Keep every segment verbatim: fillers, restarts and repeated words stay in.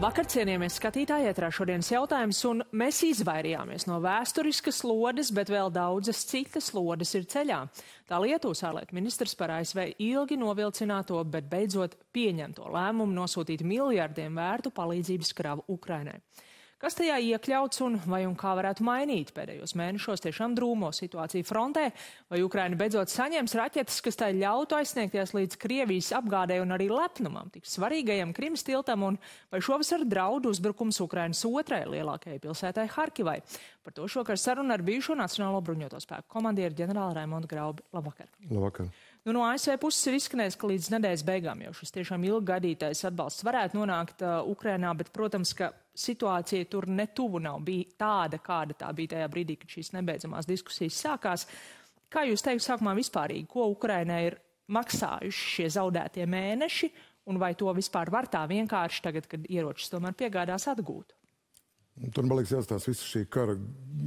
Labvakar, cienījamies skatītāji, ētrā šodienas jautājums, un mēs izvairījāmies no vēsturiskas lodes, bet vēl daudzas citas lodes ir ceļā. Tā Lietuvas ārlietu ministrs par A S V ilgi novilcināto, bet beidzot pieņemto lēmumu nosūtīt miljardiem vērtu palīdzības kravu Ukrainai. Kas tajā iekļauts un vai un kā varētu mainīt pēdējos mēnešos tiešām drūmo situāciju frontē, vai Ukraina beidzot saņems raķetes, kas tai ļautu aizsniegties līdz Krievijas apgādē un arī lepnumam, tik svarīgajam Krimas tiltam, un vai šovasar draudu uzbrukums Ukrainas otrai lielākajai pilsētai Harkivai. Par to šokar saruna ar bijušo Nacionālo bruņoto spēku komandieru ģenerāli Raimondu Graubi. Labvakar. Labvakar. Nu, no A S V puses ir izskanējis, ka līdz nedēļas beigām jau šis tiešām ilgi gaidītais atbalsts varētu nonākt uh, Ukrainā, bet, protams, ka situācija tur netuvu nav bija tāda, kāda tā bija tajā brīdī, kad šīs nebeidzamās diskusijas sākās. Kā jūs teikt sākumā vispārīgi, ko Ukrainai ir maksājuši šie zaudētie mēneši, un vai to vispār var tā vienkārši tagad, kad ieročus tomēr piegādās atgūt? Tur, man liekas, jāstās visu šī kara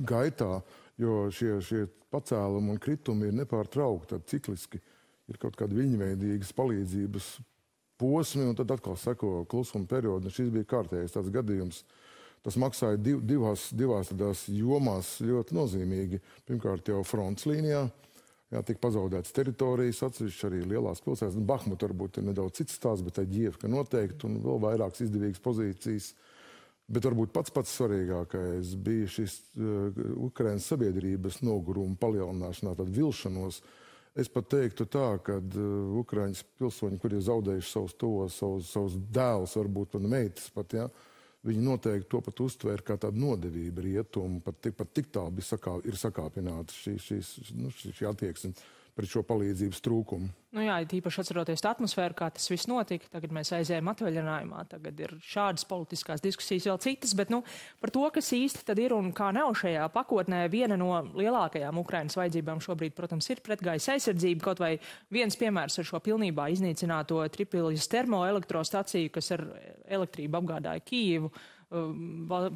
gaitā, jo šie, šie pacēlumi un kritumi ir nepārtraukti, cikliski. Ir kaut kāda viļņveidīgas palīdzības posmi, un tad atkal seko klusuma periodu. Šis bija kārtējais tāds gadījums. Tas maksāja div, divās, divās tādās jomās ļoti nozīmīgi. Pirmkārt jau fronts līnijā, jā, tika pazaudētas teritorijas, atsevišķi arī lielās pilsētas. Bahmut varbūt ir nedaudz cits stāsts, bet tā Ģievka noteikti, un vēl vairākas izdevīgas pozīcijas. Bet varbūt pats pats svarīgākais bija šis uh, Ukrainas sabiedrības noguruma palielināšanā, tad vilšanos. Es pat teiktu tā, ka uh, Ukraiņas pilsoņi, kuri ir zaudējuši savus tos, savus, savus dēlus, varbūt pat meitas pat, ja, viņi noteikti to pat uztvēra kā tādu nodevību rietumu, pat tik, pat tik tālu sakā, ir sakāpināta šī, šī, nu, šī, šī attieksme pret šo palīdzības trūkumu. Nu jā, tīpaši atceroties tā atmosfēru, kā tas viss notika, tagad mēs aizējām atvaļinājumā, tagad ir šādas politiskās diskusijas vēl citas, bet nu, par to, kas īsti tad ir un kā nav šajā pakotnē, viena no lielākajām Ukrainas vajadzībām šobrīd, protams, ir pretgaisa aizsardzība, kaut vai viens piemērs ar šo pilnībā iznīcināto Tripiljas termoelektrostaciju, kas ar elektrību apgādāja Kijivu.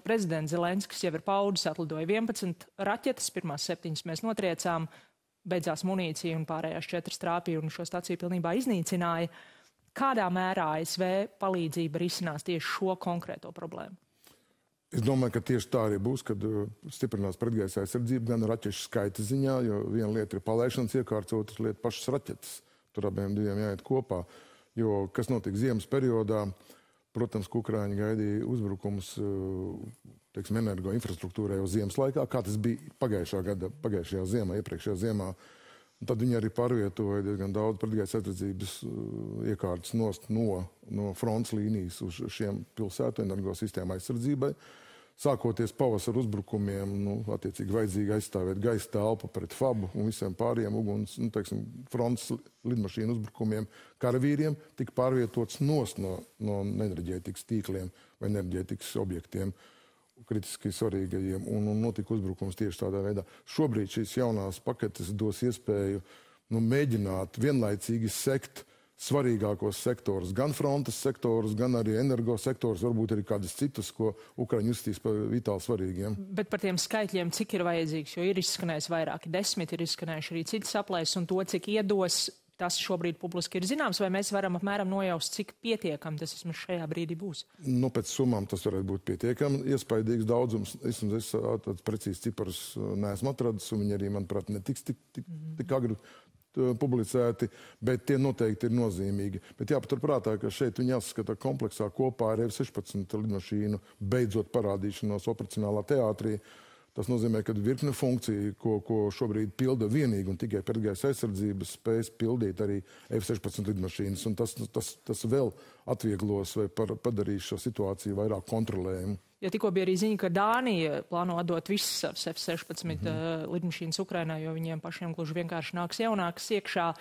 Prezidents Zelenskis jau ir paudis, atlidoja vienpadsmit raķetes, pirmās septiņas mēs notriecām, beidzās munīcija un pārējās četras trāpīja un šo staciju pilnībā iznīcināja. Kādā mērā A S V palīdzība risinās tieši šo konkrēto problēmu? Es domāju, ka tieši tā arī būs, kad stiprinās pretgaisa aizsardzība gan raķešu skaita ziņā, jo viena lieta ir palaišanas iekārts, otra lieta pašas raķetes. Tur abiem diviem jāiet kopā, jo kas notika ziemas periodā, protams, ka Ukraiņi gaidīja uzbrukums, teiksim, energo infrastruktūrai jau ziemas laikā, kā tas bija pagājušā gada, pagājušajā ziemā, iepriekšējā ziemā. Un tad viņi arī pārvietoja diezgan daudz pretgaisa aizsardzības iekārtas nost no, no fronts līnijas uz šiem pilsētu energo sistēmu aizsardzībai. Sākoties pavasara uzbrukumiem, nu, attiecīgi vajadzīgi aizstāvēt gaisa telpu pret fabu un visiem pāriem uguns, nu, teiksim, fronts lidmašīnu uzbrukumiem karavīriem tika pārvietots nost no, no enerģētikas tīkliem vai enerģētikas objektiem kritiski svarīgajiem, un, un notika uzbrukums tieši tādā veidā. Šobrīd šīs jaunās paketes dos iespēju nu, mēģināt vienlaicīgi sekt svarīgākos sektorus, gan frontes sektorus, gan arī energo sektorus, varbūt arī kādas citas, ko Ukraiņi uzstīs par vitāli svarīgiem. Bet par tiem skaitļiem, cik ir vajadzīgs, jo ir izskanējis vairāki desmit, ir izskanējuši arī citas aplēses, un to, cik iedos, tas šobrīd publiski ir zināms, vai mēs varam apmēram nojaust, cik pietiekami tas vismaz šajā brīdī būs? Nu, pēc summām tas varētu būt pietiekami, iespaidīgs daudzums. Es, es tāds precīzi ciparus neesmu atradis, un viņi arī, manuprāt, netiks tik, tik, tik agri publicēti, bet tie noteikti ir nozīmīgi. Bet jāpaturprātā, ka šeit viņi jāskata kompleksā kopā ar F sešpadsmit lidmašīnu beidzot parādīšanos operacionālā teātrī. Tas nozīmē, ka virkne funkciju, ko, ko šobrīd pilda vienīgi un tikai pretgaisa aizsardzības spējas pildīt arī F sešpadsmit lidmašīnas, un tas, tas, tas vēl atvieglos vai par, padarīs šo situāciju vairāk kontrolējumu. Ja tikko bija arī ziņa, ka Dānija plāno atdot visas savas F sešpadsmit mm-hmm. uh, lidmašīnas Ukrainā, jo viņiem pašiem gluži vienkārši nāks jaunākas iekšā.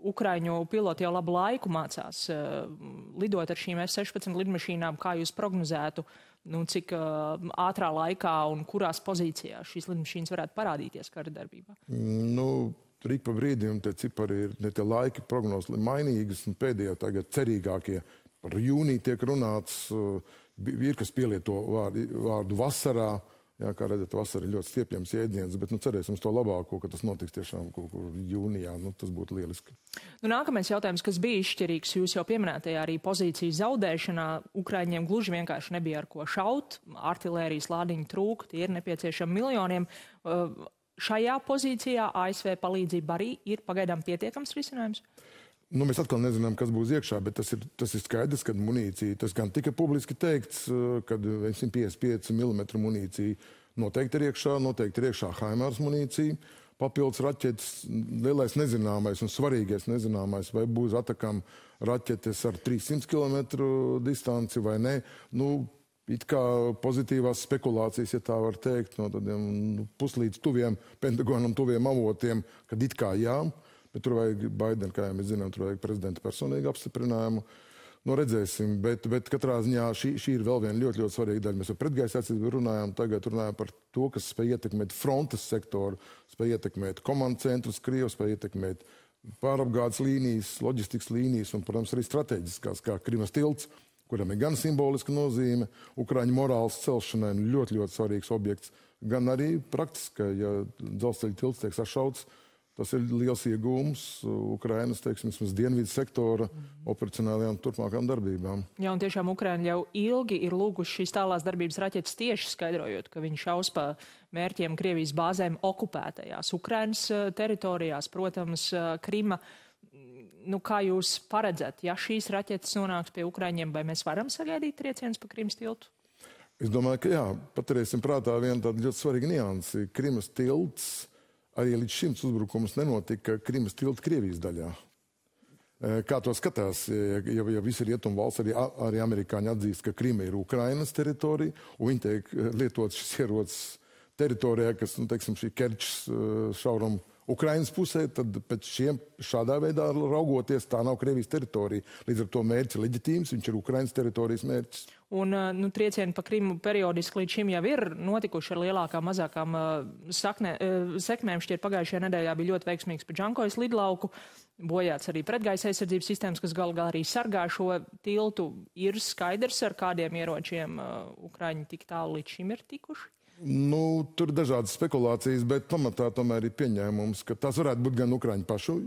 Ukraiņu piloti jau labu laiku mācās uh, lidot ar šīm F sešpadsmit lidmašīnām. Kā jūs prognozētu, nu, cik uh, ātrā laikā un kurās pozīcijās šīs lidmašīnas varētu parādīties kara darbībā? Nu, tur ik pa brīdim tie cipari ir, ne tie laiki prognozes mainīgas, un pēdējā tagad cerīgākie par jūniju tiek runāts, uh, ir, kas pielieto vārdu, vārdu vasarā, Jā, kā redzat, vasara ir ļoti stiepjams jēdziens, bet nu, cerēsim uz to labāko, ka tas notiks tiešām kaut kur jūnijā. Nu, tas būtu lieliski. Nu, nākamais jautājums, kas bija izšķirīgs, jūs jau pieminētajā arī pozīcijas zaudēšanā. Ukraiņiem gluži vienkārši nebija ar ko šaut, artilērijas lādiņu trūka, tie ir nepieciešami miljoniem. Šajā pozīcijā A S V palīdzība arī ir pagaidām pietiekams risinājums? Nu, mēs atkal nezinām, kas būs iekšā, bet tas ir, tas ir skaidrs, ka munīcija, tas gan tika publiski teikts, kad simt piecdesmit pieci milimetri munīcija noteikti ir iekšā, noteikti ir iekšā Haimars munīcija, papildus raķetes, lielais nezināmais un svarīgais nezināmais, vai būs atakam raķetes ar trīssimt kilometru distanci vai ne. Nu, it kā pozitīvās spekulācijas, ja tā var teikt, no tādiem nu, puslīdz tuviem Pentagonam, tuviem avotiem, kad it kā jā. Bet tur vajag Baidenu, kā jau mēs zinām, tur vajag prezidenta personīgu apstiprinājumu. Nu, redzēsim, bet, bet katrā ziņā šī, šī ir vēl viena ļoti, ļoti svarīga daļa. Mēs par pretgaisa aizsardzību runājām, tagad runājam par to, kas spēj ietekmēt frontes sektoru, spēj ietekmēt komandu centrus Krievijas, spēj ietekmēt pārapgādes līnijas, loģistikas līnijas un, protams, arī strateģiskās, kā Krimas tilts, kuram ir gan simboliska nozīme, Ukraiņu morāles celšanai ļoti, ļoti svarīgs objekts, gan arī praktiski, ja dzelzceļa tilts tiek sašauts. Tas ir liels iegūms Ukrainas, teiksim, dienvidu sektora operacionālajām turpmākām darbībām. Jā, un tiešām Ukraina jau ilgi ir lūguši šīs tālās darbības raķetes tieši skaidrojot, ka viņi šaus pa mērķiem Krievijas bāzēm okupētajās Ukrainas teritorijās, protams, Krima. Nu, kā jūs paredzat, ja šīs raķetes nonāks pie Ukraiņiem, vai mēs varam sagaidīt triecienus pa Krimas tiltu? Es domāju, ka jā, paturēsim prātā vienu tādu ļoti svarīgu niansi. Krimas tilts arī līdz šim uzbrukums nenotika Krimas tilta Krievijas daļā. Kā to skatās, ja, ja visi rietumu valsts, arī, arī amerikāņi atzīst, ka Krima ir Ukrainas teritorija, un viņi tiek lietot šis ierocis teritorijā, kas, nu, teiksim, šī Kerčs šauram Ukrainas pusē, tad pēc šiem šādā veidā raugoties, tā nav Krievijas teritorija. Līdz ar to mērķis leģitīms, viņš ir Ukrainas teritorijas mērķis. Un nu, triecieni pa Krimu periodiski līdz šim jau ir notikuši ar lielākām, mazākām sakne, sekmēm. Šķiet pagājušajā nedēļā bija ļoti veiksmīgs pa Džankojas lidlauku. Bojāts arī pretgaisa aizsardzības sistēmas, kas gal galā arī sargā šo tiltu. Ir skaidrs, ar kādiem ieročiem Ukraiņi tik tālu līdz šim ir tikuši? Nu, tur ir dažādas spekulācijas, bet pamatā tomēr ir pieņēmums, ka tās varētu būt gan Ukraiņu pašu.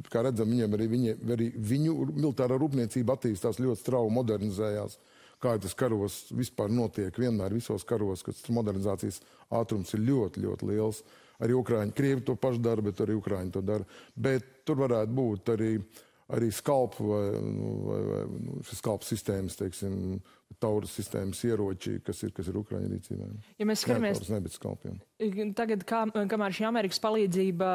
Kā redzam, viņiem arī, viņi, arī viņu militārā rūpniecība attīstās ļoti strauji, modernizējās. Kā tas karos vispār notiek, vienmēr visos karos, kad modernizācijas ātrums ir ļoti, ļoti liels. Arī Ukraiņi, Krievi to pašu dara, bet arī Ukraiņi to dara. Bet tur varētu būt arī, arī skalpu vai, vai, vai nu, šis skalpu sistēmas, teiksim, tauras sistēmas ieroči, kas ir, kas ir Ukraiņu rīcībā. Ja mēs skatāmies, ne, nebet skalpiem. Tagad, kā, kamēr šī Amerikas palīdzība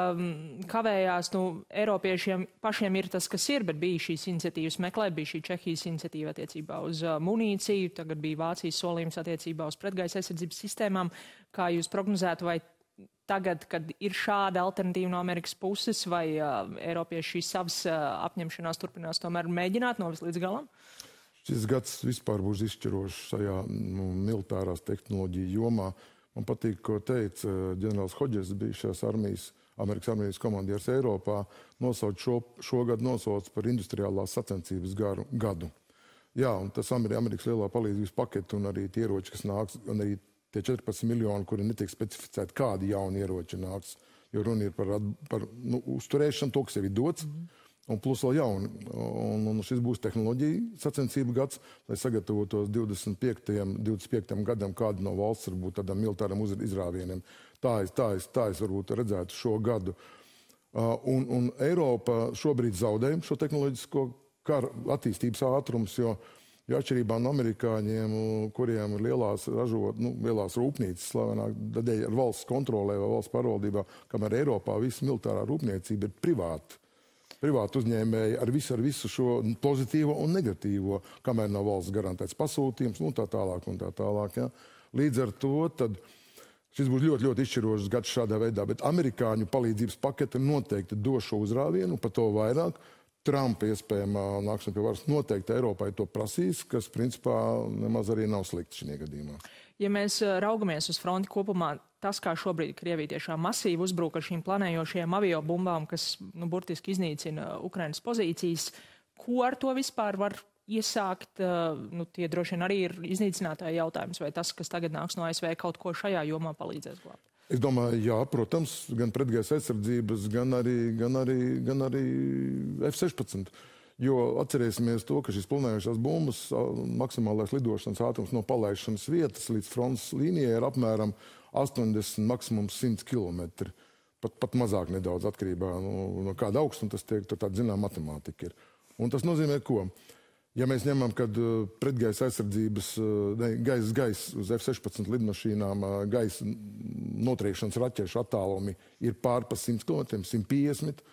kavējās, nu, Eiropiešiem pašiem ir tas, kas ir, bet bija šīs iniciatīvas meklēt, bija šī Čehijas iniciatīva attiecībā uz uh, munīciju, tagad bija Vācijas solījums attiecībā uz pretgaisa aizsardzības sistēmām. Kā jūs prognozētu, vai tagad, kad ir šāda alternatīva no Amerikas puses, vai uh, Eiropieši šīs savas uh, apņemšanās turpinās tomēr mēģināt novest līdz galam? Šis gads vispār būs izšķirošs šajā nu, militārās tehnoloģiju jomā. Man patīk, ko teica ģenerālis Hodžers, bijušās armijas, Amerikas armijas komandieris Eiropā, nosauc šo, šogad nosauc par industriālās sacensības garu, gadu. Jā, un tas ir Amerikas lielā palīdzības paketi un arī tie ieroči, kas nāks, un arī tie četrpadsmit miljoni, kuri netiek specificēti, kādi jauni ieroči nāks, jo runa ir par, par nu, uzturēšanu, to, kas jau ir dots. Mm. Un plus vēl jauni. Un, un šis būs tehnoloģija sacensību gads, lai sagatavotos divdesmit piektajam gadam kādu no valsts varbūt tādam militāram izrāvieniem. Tā es, tā es, tā es varbūt redzētu šo gadu. Uh, un, un Eiropa šobrīd zaudē šo tehnoloģisko karu attīstības ātrums, jo, jo atšķirībā no amerikāņiem, kuriem ir lielās ražot, nu, lielās rūpnīcas, slavenāk daļai ar valsts kontrolē vai valsts pārvaldībā, kamēr Eiropā visa militārā rūpniecība ir privāta. Privāti uzņēmēji ar visu, ar visu šo pozitīvo un negatīvo, kamēr nav valsts garantēts pasūtījums, un tā tālāk, un tā tālāk. Ja. Līdz ar to tad šis būs ļoti, ļoti izšķirošs gads šādā veidā, bet amerikāņu palīdzības pakete noteikti dos šo uzrāvienu, par to vairāk. Trumpa iespējamā nākšana pie varas noteikti Eiropai to prasīs, kas principā nemaz arī nav slikti šajā gadījumā. Ja mēs raugamies uz fronti kopumā, tas, kā šobrīd Krievija tiešām masīvi uzbruk ar šīm planējošajām aviobumbām, kas nu, burtiski iznīcina Ukrainas pozīcijas, ko ar to vispār var iesākt, nu, tie droši vien arī ir iznīcinātāji jautājums, vai tas, kas tagad nāks no A S V, kaut ko šajā jomā palīdzēs glābt? Es domāju, jā, protams, gan pretgaisa aizsardzības, gan arī, gan arī, gan arī F sešpadsmit. Jo atcerēsimies to, ka šīs planējušās bumbas maksimālais lidošanas ātrums no palaišanas vietas līdz frontes līnijai ir apmēram astoņdesmit, maksimums simt kilometri. Pat, pat mazāk nedaudz atkarībā no, no kāda augstuma tas tiek, tad tāda zinām matemātika ir. Un tas nozīmē ko? Ja mēs ņemam, kad pretgaisa aizsardzības, ne, gaisa, gaisa uz F sešpadsmit lidmašīnām gaisa notriekšanas raķešu attālumi ir pār pa simt kilometriem, simt piecdesmit,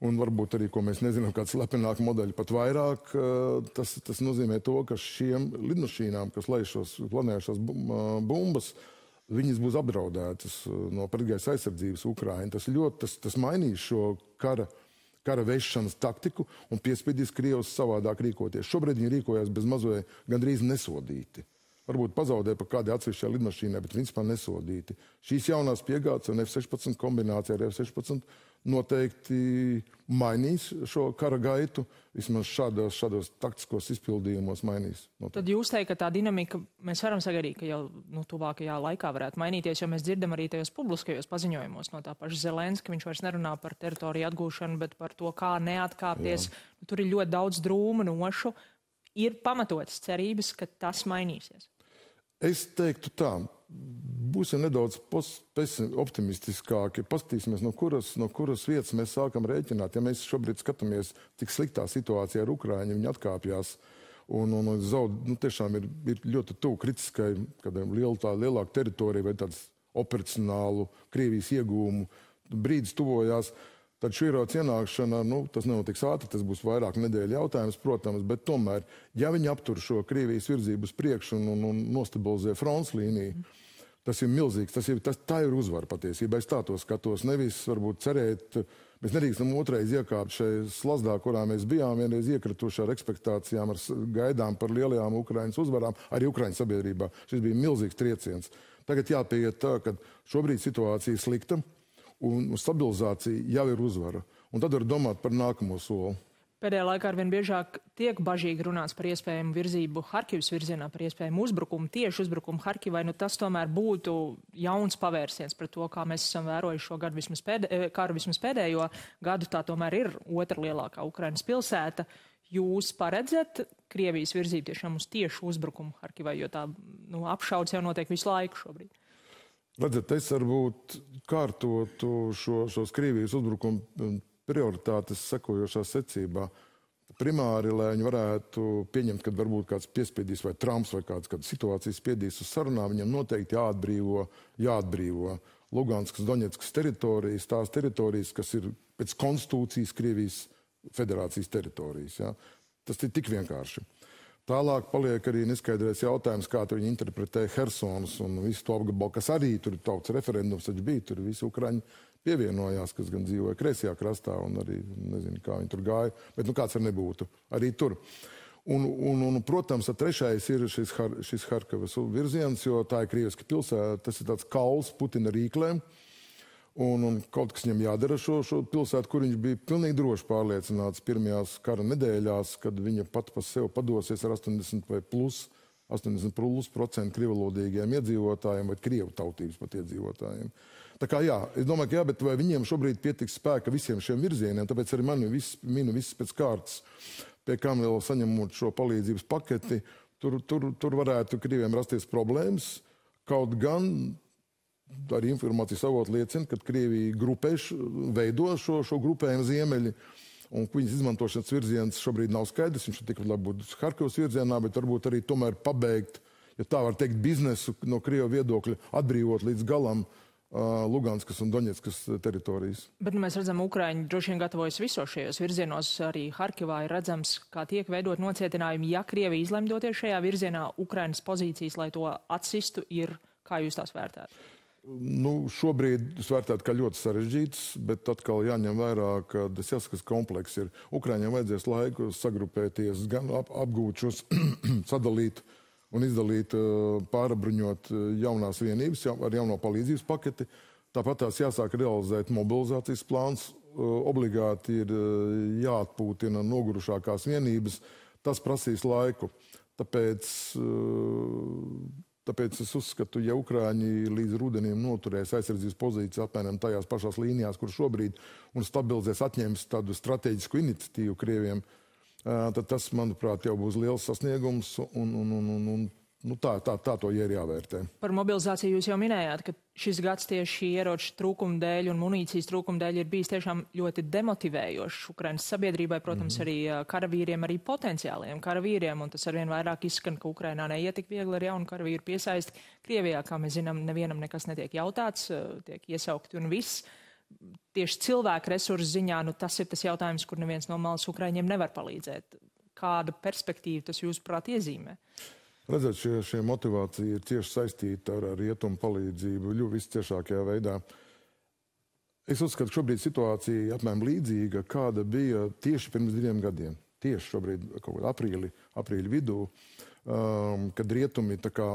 un varbūt arī, ko mēs nezinām, kāds slepenāk modeļi pat vairāk, tas, tas nozīmē to, ka šiem lidmašīnām, kas lej šos planējušās bumbas, viņas būs apdraudētas no pretgaisa aizsardzības Ukraiņa. Tas ļoti, tas, tas mainīs šo kara, kara vešanas taktiku un piespiedīs Krievus savādāk rīkoties. Šobrīd viņi rīkojās bez mazoja gandrīz nesodīti. Varbūt pazaudē pa kādai atsevišķai lidmašīnai, bet principā nesodīti. Šīs jaunās piegādes un F sešpadsmit kombinācija ar F sešpadsmit noteikti mainīs šo kara gaitu, vismaz šādos, šādos taktiskos izpildījumos mainīs. Noteikti. Tad jūs teikt, ka tā dinamika, mēs varam sagaidīt, ka jau nu, tuvākajā laikā varētu mainīties, jo mēs dzirdam arī tajos publiskajos paziņojumos no tā paša Zelenska, viņš vairs nerunā par teritoriju atgūšanu, bet par to, kā neatkāpties. Jā. Tur ir ļoti daudz drūmu nošu. Ir pamatotas cerības, ka tas mainīsies. Es teiktu tā, būsim nedaudz optimistiskāki, paskatīsimies, no kuras, no kuras vietas mēs sākam rēķināt. Ja mēs šobrīd skatāmies, cik sliktā situācijā ar Ukraiņu, viņi atkāpjās un, un, un zaud, nu, tiešām ir, ir ļoti tuvu kritiskai, kādiem liel, tā, lielāku teritoriju vai tāds operacionālu Krievijas iegūmu brīdis tuvojās. Tad šī ieroča ienākšana, nu, tas nenotiks ātri, tas būs vairāk nedēļu jautājums, protams, bet tomēr, ja viņi aptur šo Krievijas virzību uz priekšu un, un, un nostabilizē fronts līniju, tas ir milzīgs, tas ir, tas, tā ir uzvara patiesībā. Es tā to skatos, nevis varbūt cerēt, mēs nedrīkstam otrais iekāpt šai slazdā, kurā mēs bijām vienreiz iekrituši ar ekspektācijām, ar gaidām par lielajām Ukrainas uzvarām, arī Ukrainas sabiedrībā. Šis bija milzīgs trieciens. Tagad jāpieiet tā, ka šobrīd situācija ir slikta, un stabilizācija jau ir uzvara. Un tad var domāt par nākamo soli. Pēdējā laikā arvien biežāk tiek bažīgi runāts par iespējamu virzību Harkivas virzienā, par iespējamu uzbrukumu, tieši uzbrukumu Harkivai. Nu, tas tomēr būtu jauns pavērsiens pret to, kā mēs esam vērojuši šo gadu vismaz, pēdē, karu vismaz pēdējo gadu. Tā tomēr ir otra lielākā Ukrainas pilsēta. Jūs paredzat Krievijas virzību tiešām uz tiešu uzbrukumu Harkivai, jo tā nu, apšauds jau notiek visu laiku šobrīd? Redzat, es varbūt kārtotu šo, šos Krievijas uzbrukumu prioritātes sekojošā secībā. Primāri, lai viņi varētu pieņemt, kad varbūt kāds piespiedīs vai Trumps vai kāds, kad situācijas spiedīs uz sarunā, viņam noteikti jāatbrīvo, jāatbrīvo Luganskas, Doņetskas teritorijas, tās teritorijas, kas ir pēc konstitūcijas Krievijas federācijas teritorijas. Ja? Tas ir tik vienkārši. Tālāk paliek arī neskaidrais jautājums, kā viņi interpretē Hersonas un visu to apgabalu, kas arī tur tautas referendums taču bija, tur visi Ukraiņi pievienojās, kas gan dzīvoja kreisajā krastā un arī nezinu, kā viņi tur gāja, bet nu kāds ar nebūtu arī tur. Un, un, un protams, trešais ir šis, šis Harkivas virziens, jo tā ir krieviska pilsēta, tas ir tāds kauls Putina rīklēm. Un, un kaut kas viņam jādara šo, šo pilsētu, kur viņš bija pilnīgi droši pārliecināts pirmajās kara nedēļās, kad viņa pat pa sev padosies ar astoņdesmit vai plus, astoņdesmit plus procentu krievalodīgiem iedzīvotājiem vai krievu tautības pat iedzīvotājiem. Tā kā jā, es domāju, ka jā, bet vai viņiem šobrīd pietiks spēka visiem šiem virzieniem, tāpēc arī mani vis, minu viss pēc kārtas, pie kam vēl saņemot šo palīdzības paketi, tur, tur, tur varētu Krieviem rasties problēmas, kaut gan arī informācijas avoti liecina, ka Krievija grupēš, veido šo, šo grupējumu ziemeļi, un viņas izmantošanas virziens šobrīd nav skaidrs. Viņš tikai varbūt Harkivas virzienā, bet varbūt arī tomēr pabeigt, ja tā var teikt, biznesu no Krievu viedokļa, atbrīvot līdz galam uh, Luganskas un Doņetskas teritorijas. Bet nu, mēs redzam, Ukraiņi droši vien gatavojas visos šajos virzienos. Arī Harkivā ir redzams, kā tiek veidot nocietinājumi. Ja Krievija izlemdoties šajā virzienā, Ukrainas pozīcijas, lai to atsistu, ir, kā jūs tās vērtētu? Nu, šobrīd es vērtētu, ka ļoti sarežģīts, bet atkal jāņem vērā, ka tas jāskas kompleks ir. Ukraiņiem vajadzēs laiku sagrupēties, gan ap, apgūt šos, sadalīt un izdalīt, pārabruņot jaunās vienības ar jauno palīdzības paketi. Tāpat tās jāsāk realizēt mobilizācijas plāns. Obligāti ir jāatpūtina nogurušākās vienības. Tas prasīs laiku. Tāpēc, tāpēc es uzskatu, ja Ukraiņi līdz rudenim noturēs aizsardzības pozīcijas apmēram tajās pašās līnijās, kur šobrīd, un stabilizēs, atņems tādu strateģisku iniciatīvu Krieviem, tad tas, manuprāt, jau būs liels sasniegums, un, un, un, un, un nu, tā, tā, tā to ir jāvērtē. Par mobilizāciju jūs jau minējāt, ka šis gads tieši ieroču trūkuma dēļ un munīcijas trūkuma dēļ ir bijis tiešām ļoti demotivējošs Ukrainas sabiedrībai, protams, mm-hmm. arī karavīriem, arī potenciāliem karavīriem, un tas arvien vairāk izskan, ka Ukrainā neiet tik viegli ar jaunu karavīru piesaisti. Krievijā, kā mēs zinām, nevienam nekas netiek jautāts, tiek iesaukti un viss. Tieši cilvēku resursu ziņā, nu, tas ir tas jautājums, kur neviens no malas Ukraiņiem nevar palīdzēt. Kāda perspektīva tas jūsuprāt iezīmē? Redzēt, šie, šie motivācija ir cieši saistīta ar, ar rietumu palīdzību, ļoti visciešākajā veidā. Es uzskatu, ka šobrīd situācija apmēram līdzīga, kāda bija tieši pirms diviem gadiem. Tieši šobrīd, kaut kādā aprīļa, aprīļa vidū, um, kad rietumi, tā kā,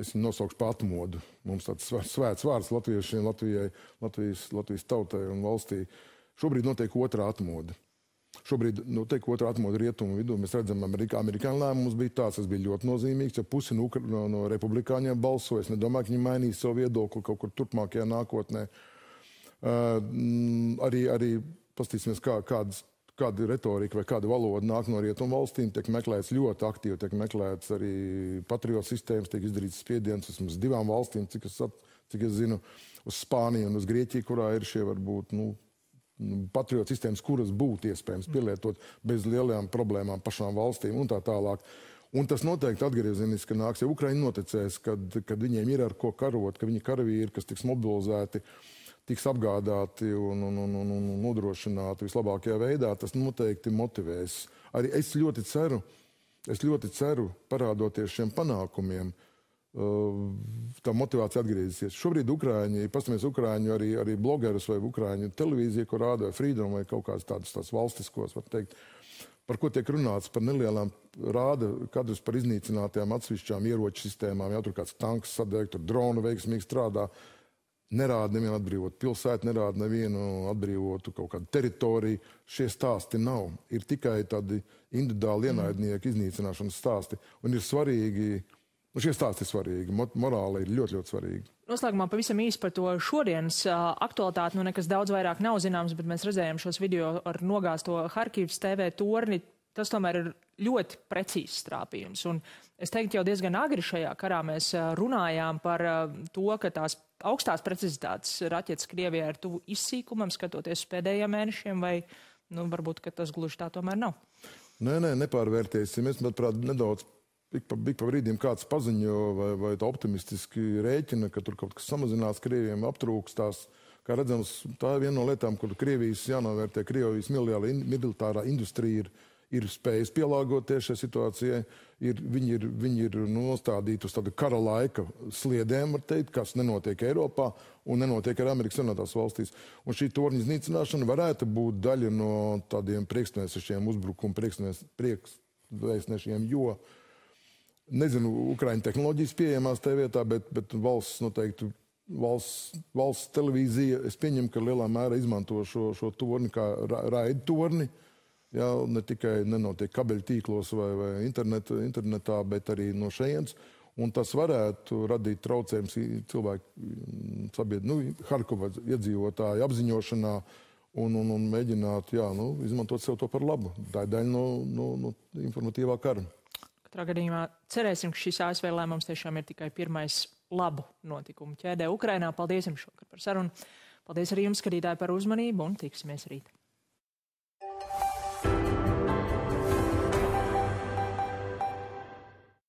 es viņu nosaukšu pa atmodu, mums tāds svēts vārds latviešiem, Latvijai, Latvijas, Latvijas tautai un valstī. Šobrīd notiek otrā atmoda. Šobrīd notiek otrā atmoda rietumu vidū. Mēs redzam, Amerikā, amerikāņu lēmums bija tāds, tas bija ļoti nozīmīgs, ja pusi no, no, no republikāņiem balsoja. Es nedomāju, ka viņi mainīs savu viedokli kaut kur turpmākajā nākotnē. Uh, arī, arī pastīsimies, kā, kādas, kāda retorika vai kāda valoda nāk no rietumu valstīm. Tiek meklēts ļoti aktīvi, tiek meklēts arī patriotu sistēmas, tiek izdarīts spiediens vismaz divām valstīm, cik es, cik es zinu, uz Spāniju un uz Grieķiju, kurā ir šie varbūt, nu, patriotu sistēmas, kuras būtu iespējams pielietot bez lielajām problēmām pašām valstīm un tā tālāk. Un tas noteikti atgriezeniski nāks, ja Ukraiņi noticēs, kad, kad viņiem ir ar ko karot, ka viņi karavīri, kas tiks mobilizēti, tiks apgādāti un, un, un, un, un nodrošināti vislabākajā veidā, tas noteikti motivēs. Arī es ļoti ceru, es ļoti ceru, parādoties šiem panākumiem, tā motivācija atgriezīsies. Šobrīd Ukraiņi, pastamies Ukraiņu arī, arī blogerus vai Ukraiņu televīziju, ko rāda vai Freedom vai kaut kāds tādus tās valstiskos, var teikt, par ko tiek runāts, par nelielām rāda kadrus par iznīcinātajām atsevišķām ieroču sistēmām, ja tur kāds tanks sadeg, tur drona veiksmīgi strādā, nerāda nevienu atbrīvotu pilsētu, nerāda nevienu atbrīvotu kaut kādu teritoriju. Šie stāsti nav. Ir tikai tādi individuāli ienaidnieku iznīcināšanas stāsti, un ir svarīgi. Un šie stāsti ir svarīgi, morāli ir ļoti, ļoti svarīgi. Noslēgumā pavisam īsi par to šodienas uh, aktualitāti, nu nekas daudz vairāk nav zināms, bet mēs redzējām šos video ar nogāzto Harkivas T V torni. Tas tomēr ir ļoti precīzs trāpījums. Un es teiktu, jau diezgan agri šajā karā mēs uh, runājām par uh, to, ka tās augstās precizitātes raķetes Krievijā ir tuvu izsīkumam, skatoties uz pēdējiem mēnešiem, vai nu, varbūt, ka tas gluži tā tomēr nav? Nē, nē, nepārvērtēsim. Es, manuprāt, nedaudz Ik pa, ik pa brīdiem kāds paziņo vai, vai optimistiski rēķina, ka tur kaut kas samazinās, Krievijiem aptrūkstās. Kā redzams, tā ir viena no lietām, kur Krievijas jānovērtē. Krievijas militārā industrija ir, ir spējas pielāgoties šai situācijai. Ir, viņi ir, viņi ir nostādīti uz tādu kara laika sliedēm, var teikt, kas nenotiek Eiropā un nenotiek arī Amerikas Savienotās valstīs. Un šī torņa iznīcināšana varētu būt daļa no tādiem priekšnesešiem uzbrukumu priekšnesešiem, jo nezinu, Ukraiņu tehnoloģijas pieejamās tajā vietā, bet, bet valsts noteikti, valsts, valsts televīzija, es pieņemu, ka lielā mērā izmanto šo, šo torni kā ra, raida torni. Jā, ne tikai nenotiek kabeļu tīklos vai, vai internet, internetā, bet arī no šejienes. Un tas varētu radīt traucējums cilvēku sabiedrību, nu, Harkova iedzīvotāju apziņošanā un, un, un mēģināt, jā, nu, izmantot sev to par labu. Tā ir daļa no, no, no informatīvā kara. Katrā gadījumā cerēsim, ka šis A S V lēmums tiešām ir tikai pirmais labu notikumu ķēdē Ukrainā. Paldies jums šokar par sarunu. Paldies arī jums, skatītāji, par uzmanību un tiksimies rīt.